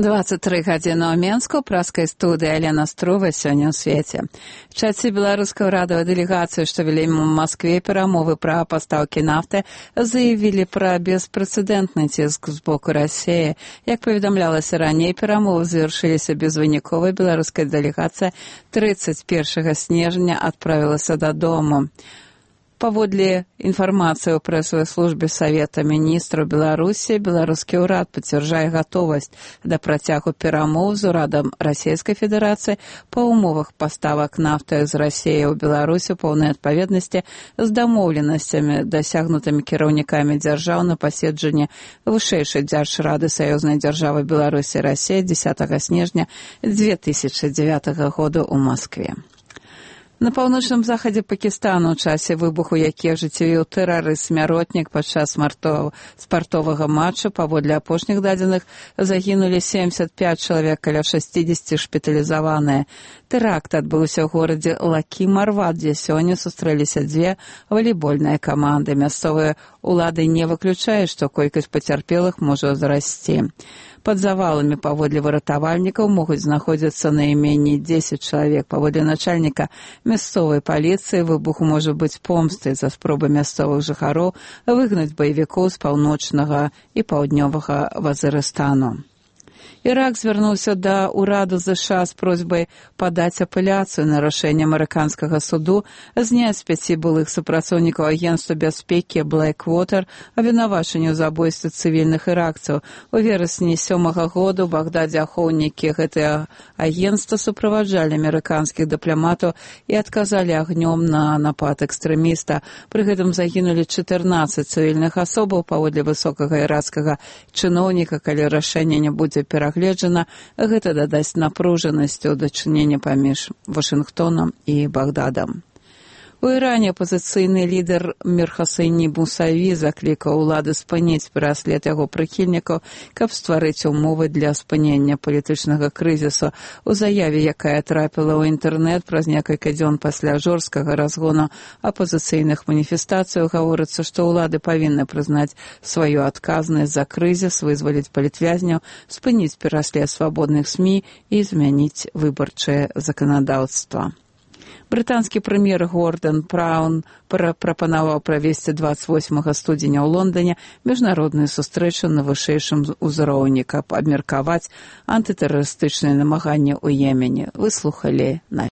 23 гадзіны ў Менску, праскай студыі Алена Струва сёння ў свеце. В часе беларускай урадавай дэлегацыі, што вялі ў Маскве перамовы пра пастаўкі нафты, заявілі пра беспрэцэдэнтны ціск з боку Расіі. Як паведамлялася раней, перамовы завяршыліся безвынікова. Беларуская дэлегацыя 31 снежня адправілася дадому. Паводле інфармацыі ў прэсавай службе Савета міністраў Беларусі, беларускі ўрад пацвярджае гатовасць да працягу перамоў з урадам Расійскай Федэрацыі па ўмовах паставак нафты з Расіі ў Беларусі ў поўнай адпаведнасці з дамоўленасцямі, дасягнутымі кіраўнікамі дзяржаў на паседжанні вышэйшай дзяржрады саюзнай дзяржавы Беларусі і Расіі 10 снежня 2009 года ў Маскве. На паўночным захадзе Пакістану ў часе выбуху, які ажыццявіў тэрарыст-смяротнік падчас спартовага матчу, паводле апошніх дадзеных, загінулі 75 чалавек, каля 60 шпіталізаваныя. Тэракт адбыўся ў горадзе Лакі-Марват, дзе сёння сустрэліся дзве валейбольныя каманды. Мясцовыя улады не выключаюць, што колькасць пацярпелых можа ўзрасці. Пад заваламі, паводле выратавальнікаў, могуць знаходзіцца найменей 10 чалавек. Паводле начальніка мясцовай паліцыі, выбух можа быць помстай за спробы мясцовых жыхароў выгнаць баевікоў з паўночнага і паўднёвага Вазырыстану. Ірак звярнуўся да ўраду ЗША з просьбай падаць апеляцыю на рашэнне амерыканскага суду зняць 5 былых супрацоўнікаў агенцтва бяспекі Blackwater абвінавачанне ў забойстве цывільных іракцаў. У верасні 7-го года ў Багдадзе ахоўнікі гэтага агенцтва суправаджалі амерыканскіх дыпламатаў і адказалі агнём на напад экстрэміста. Пры гэтым загінулі 14 цывільных асобаў. Паводле высокага іракскага чыноўніка, калі рашэнне не будзе перагледжана, гэта дадасць напружанасці ў дачыненні паміж Вашынгтонам і Багдадам. У Іране апазіцыйны лідар Мір Хосейні Мусаві заклікаў улады спыніць пераслед яго прыхільнікаў, каб стварыць умовы для спынення палітычнага крызісу. У заяве, якая трапіла ў інтэрнэт праз некалькі дзён пасля жорсткага разгону апазіцыйных маніфестацый, гаворыцца, што ўлады павінны прызнаць сваю адказнасць за крызіс, вызваліць палітвязняў, спыніць пераслед свабодных СМІ і змяніць выбарчае заканадаўства. Брытанскі прэм'ер Гордон Браун прапанаваў правесці 28 студзеня ў Лондоне міжнародную сустрэчу на вышэйшым узроўні, каб абмеркаваць антытэрарыстычныя намаганні ў Йемене. Выслухалі